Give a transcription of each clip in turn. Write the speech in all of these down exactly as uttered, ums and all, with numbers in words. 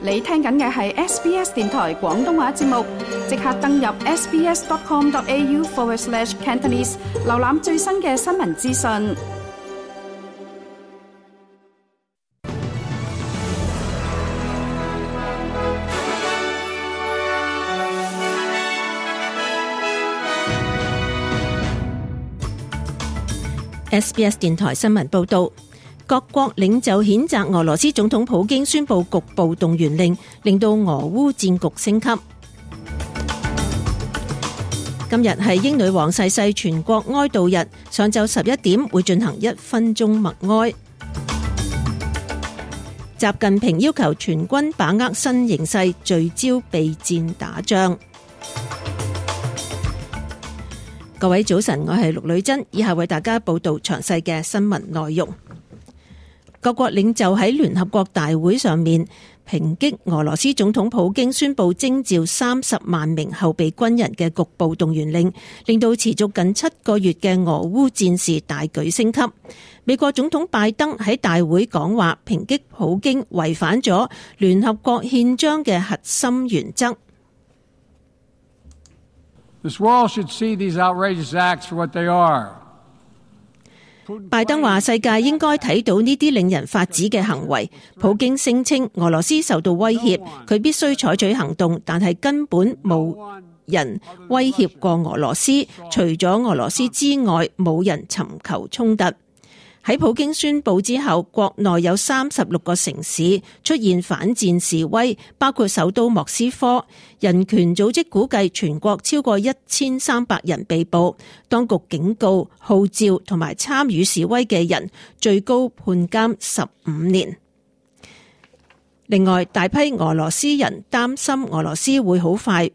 你聽緊嘅係 S B S 電台廣東話節目，即刻登入 sbs.com.au forward slash Cantonese， 瀏覽最新嘅新聞資訊。S B S 電台新聞報道，各國領袖譴責俄羅斯總統普京宣布局部動員令，令到俄烏戰局升級。今日係英女王逝世全國哀悼日，上晝十一點會進行一分鐘默哀。習近平要求全軍把握新形勢，聚焦備戰打仗。各位早晨，我係陸女珍，以下為大家報道詳細嘅新聞內容。各國領袖喺聯合國大會上面抨擊俄羅斯總統普京宣布徵召三十萬名後備軍人嘅局部動員令，令到持續近七個月嘅俄烏戰事大舉升級。美國總統拜登喺大會講話，抨擊普京違反咗聯合國憲章嘅核心原則。This world should see these outrageous acts for what they are. 拜登話：世界應該睇到呢啲令人髮指嘅行為。普京聲稱俄羅斯受到威脅，佢必須採取行動，但係根本冇人威脅過俄羅斯，除咗俄羅斯之外，冇人尋求衝突。喺普京宣布之後，國內有三十六個城市出現反戰示威，包括首都莫斯科。人權組織估計全國超過一千三百人被捕。當局警告號召同埋參與示威嘅人最高判監十五年。另外，大批俄羅斯人擔心俄羅斯會好快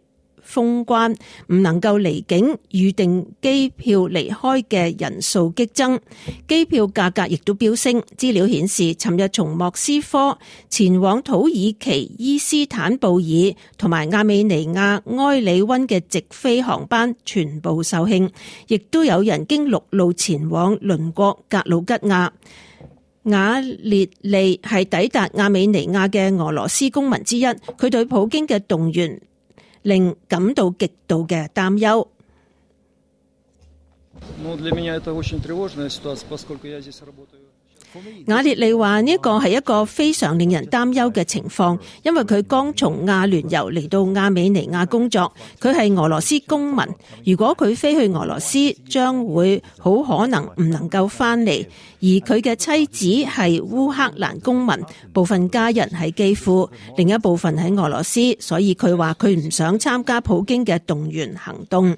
封關，唔能夠離境，預定機票離開嘅人數激增，機票價格亦都飆升。資料顯示，尋日從莫斯科前往土耳其伊斯坦布爾同埋亞美尼亞埃里溫嘅直飛航班全部售罄，亦都有人經陸路前往鄰國格魯吉亞。瓦列利係抵達亞美尼亞嘅俄羅斯公民之一，佢對普京嘅動員令感到極度嘅擔憂。瓦列利話呢個係一個非常令人擔憂嘅情況，因為佢剛從亞聯酋嚟到亞美尼亞工作，佢係俄羅斯公民。如果佢飛去俄羅斯，將會好可能唔能夠翻嚟。而佢嘅妻子係烏克蘭公民，部分家人喺基輔，另一部分喺俄羅斯，所以佢話佢唔想參加普京嘅動員行動。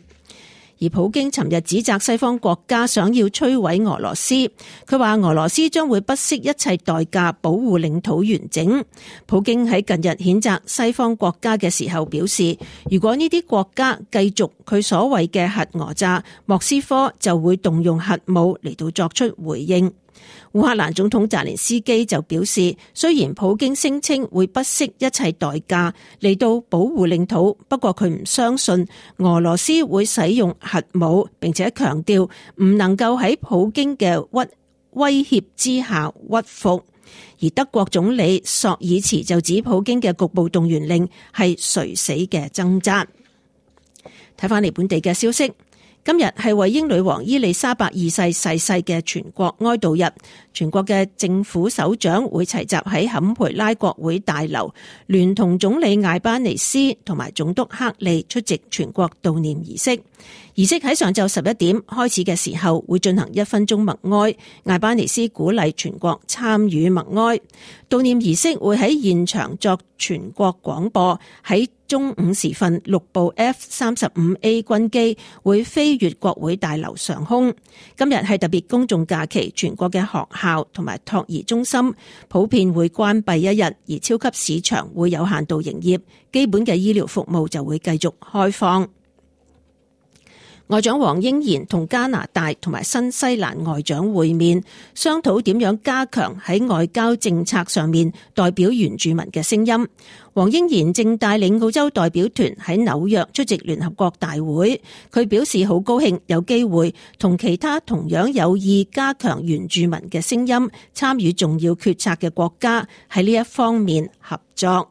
而普京尋日指責西方國家想要摧毀俄羅斯，佢話俄羅斯將會不惜一切代價保護領土完整。普京喺近日譴責西方國家嘅時候表示，如果呢啲國家繼續佢所謂嘅核訛詐，莫斯科就會動用核武嚟到作出回應。烏克蘭總統澤連斯基就表示，雖然普京聲稱會不惜一切代價嚟到保護領土，不過佢唔相信俄羅斯會使用核武，並且強調唔能夠喺普京嘅屈威脅之下屈服。而德國總理朔爾茨就指普京嘅局部動員令係垂死嘅掙扎。睇返嚟本地嘅消息。今日係為英女王伊麗莎白二世逝世嘅全國哀悼日，全國嘅政府首長會齊集喺坎培拉國會大樓，聯同總理艾巴尼斯同埋總督克利出席全國悼念儀式。儀式喺上晝十一點開始嘅時候，會進行一分鐘默哀。艾巴尼斯鼓勵全國參與默哀。悼念儀式會喺現場作全國廣播。喺中午時分，六部 F 三十五 A 軍機會飛越國會大樓上空。今日係特別公眾假期，全國嘅學校同埋托兒中心普遍會關閉一日，而超級市場會有限度營業，基本嘅醫療服務就會繼續開放。外長黃英賢同加拿大同埋新西蘭外長會面，商討點樣加強喺外交政策上面代表原住民嘅聲音。黃英賢正帶領澳洲代表團喺紐約出席聯合國大會，佢表示好高興有機會同其他同樣有意加強原住民嘅聲音、參與重要決策嘅國家喺呢一方面合作。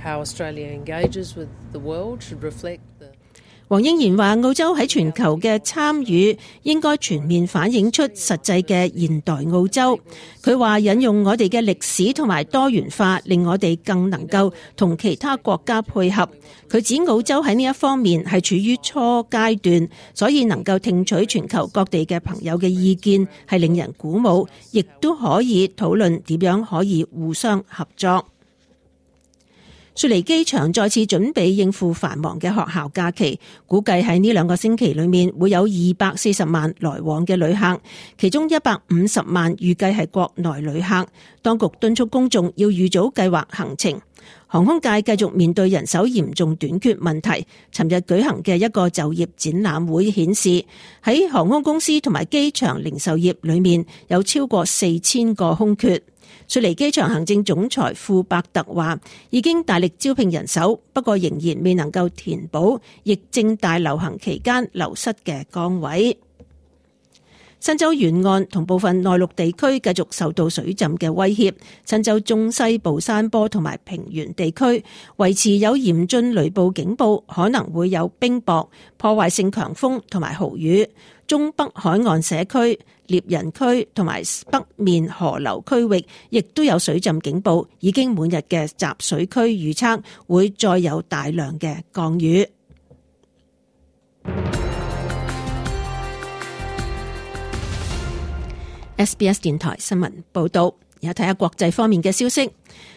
how Australia engages with the world should reflect the黃英賢話澳洲喺全球嘅參與應該全面反映出實際嘅現代澳洲。佢話引用我哋嘅歷史同埋多元化，令我哋更能夠同其他國家配合。佢指澳洲喺呢一方面係處於初階段，所以能夠聽取全球各地嘅朋友嘅意見係令人鼓舞，亦都可以討論點樣可以互相合作。雪梨機場再次準備應付繁忙嘅學校假期，估計喺呢兩個星期裏面會有二百四十萬來往嘅旅客，其中一百五十萬預計係國內旅客。當局敦促公眾要預早計劃行程。航空界繼續面對人手嚴重短缺問題。尋日舉行嘅一個就業展覽會顯示，喺航空公司同埋機場零售業裏面有超過四千個空缺。雪梨機場行政總裁庫伯特話，已經大力招聘人手，不過仍然未能夠填補疫症大流行期間流失嘅崗位。新州沿岸同部分內陸地區繼續受到水浸嘅威脅，新州中西部山坡同埋平原地區維持有嚴峻雷暴警報，可能會有冰雹、破壞性強風同埋豪雨。中北海岸社區、獵人區同埋北面河流區域亦都有水浸警報，已經滿日嘅集水區預測會再有大量嘅降雨。S B S 電台新聞報道，而家睇下國際方面嘅消息。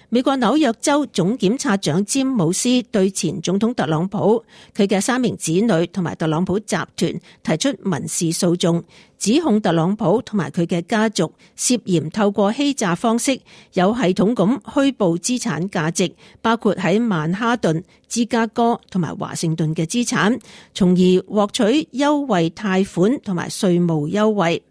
美國紐約州總檢察長詹姆斯對前總統特朗普、佢嘅三名子女同埋特朗普集團提出民事訴訟，指控特朗普同埋佢嘅家族涉嫌透過欺詐方式有系統咁虛報資產價值，包括喺曼哈頓、芝加哥同埋華盛頓嘅資產，從而獲取優惠貸款同埋稅務優惠。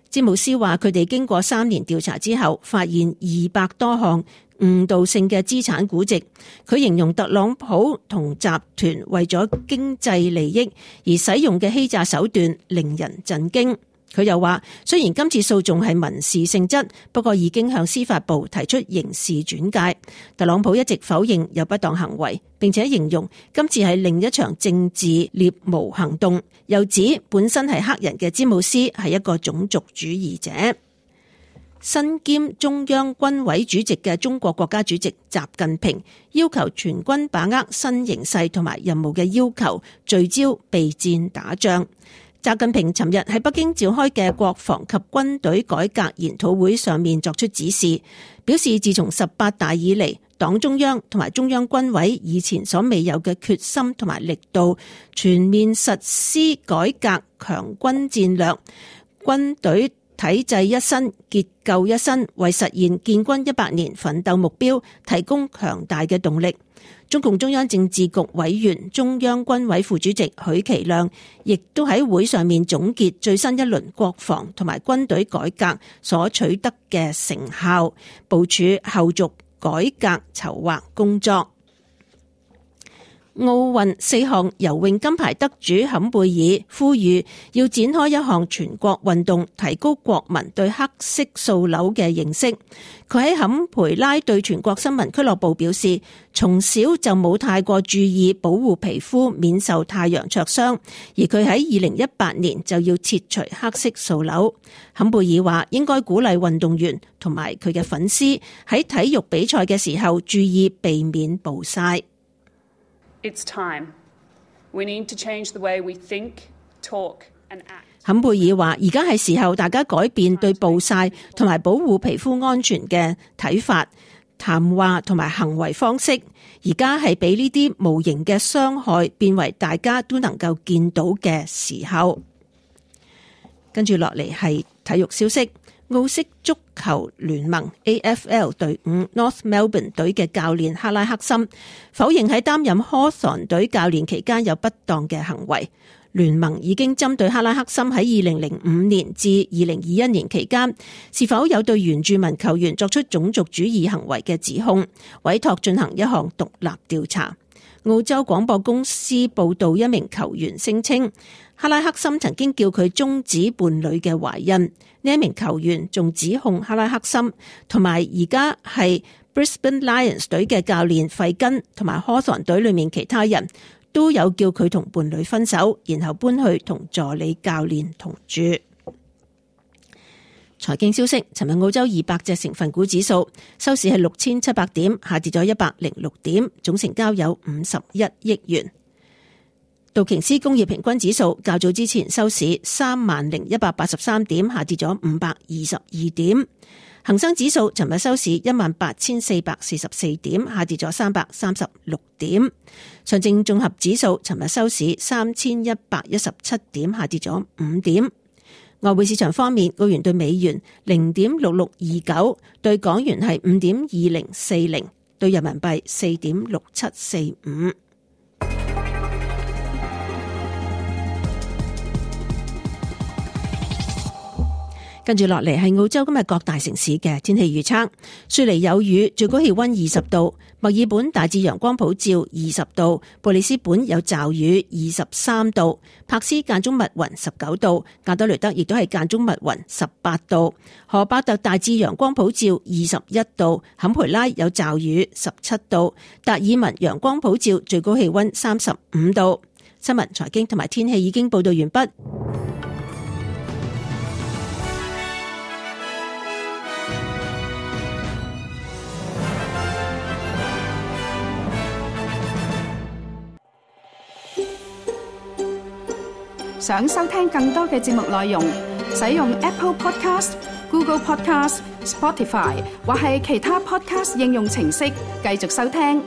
詹姆斯話佢哋經過三年調查之後，發現二百多項誤導性嘅資產估值。佢形容特朗普同集團為咗經濟利益而使用嘅欺詐手段令人震驚。佢又話，雖然今次訴訟係民事性質，不過已經向司法部提出刑事轉介。特朗普一直否認有不當行為，並且形容今次係另一場政治獵巫行動，又指本身係黑人嘅詹姆斯係一個種族主義者。身兼中央軍委主席嘅中國國家主席習近平要求全軍把握新形勢同埋任務嘅要求，聚焦備戰打仗。習近平尋日喺北京召開嘅國防及軍隊改革研討會上面作出指示，表示自從十八大以嚟，黨中央同埋中央軍委以前所未有嘅決心同埋力度，全面實施改革強軍戰略，軍隊體制一新，結構一新，為實現建軍一百年奮鬥目標提供強大嘅動力。中共中央政治局委員、中央軍委副主席許其亮亦都喺會上面總結最新一輪國防同埋軍隊改革所取得嘅成效，部署後續改革籌劃工作。奧運四項游泳金牌得主坎貝爾呼籲要展開一項全國運動，提高國民對黑色素瘤嘅認識。佢喺坎培拉對全國新聞俱樂部表示，從小就冇太過注意保護皮膚免受太陽灼傷，而佢喺二零一八年就要切除黑色素瘤。坎貝爾話應該鼓勵運動員同埋佢嘅粉絲喺體育比賽嘅時候注意避免暴曬。It's time. We need to change the way we think, talk and act. 坎貝爾話：而家係時候大家改變對暴曬同埋保護皮膚安全嘅睇法、談話同埋行為方式。而家係俾呢啲無形嘅傷害變為大家都能夠見到嘅時候。跟住落嚟係體育消息。澳式足球聯盟 A F L 隊伍 North Melbourne 隊嘅教練克拉克森否認喺擔任 Hawthorn 隊教練期間有不當嘅行為。聯盟已經針對克拉克森喺二零零五年至二零二一年期間是否有對原住民球員作出種族主義行為嘅指控，委託進行一項獨立調查。澳洲廣播公司報道，一名球員聲稱克拉克森曾經叫佢終止伴侶嘅懷孕。呢一名球員仲指控克拉克森同埋而家係 Brisbane Lions 隊嘅教練費根同埋 Hawthorn 隊裏面其他人都有叫佢同伴侶分手，然後搬去同助理教練同住。財經消息，尋日澳洲二百隻成分股指數收市係六千七百點，下跌咗一百零六點，總成交有五十一億元。道瓊斯工業平均指數較早之前收市三萬零一百八十三點，下跌咗五百二十二點。恒生指數尋日收市一萬八千四百四十四點，下跌咗三百三十六點。上證綜合指數尋日收市三千一百一十七點，下跌咗五點。外匯市場方面，澳元對美元零點六六二九，對港元係五點二零四零，對人民幣四點六七四五。跟住落嚟係澳洲今日各大城市嘅天氣預測。雪梨有雨，最高氣溫二十度；墨爾本大致陽光普照，二十度；布里斯本有驟雨，二十三度；柏斯間中密雲，十九度；加多雷德亦都係間中密雲，十八度；荷巴特大致陽光普照，二十一度；坎培拉有驟雨，十七度；達爾文陽光普照，最高氣溫三十五度。新聞、財經同埋天氣已經報道完畢。想收聽更多嘅節目內容，使用 Apple Podcast、Google Podcast、Spotify 或係其他 Podcast 應用程式繼續收聽。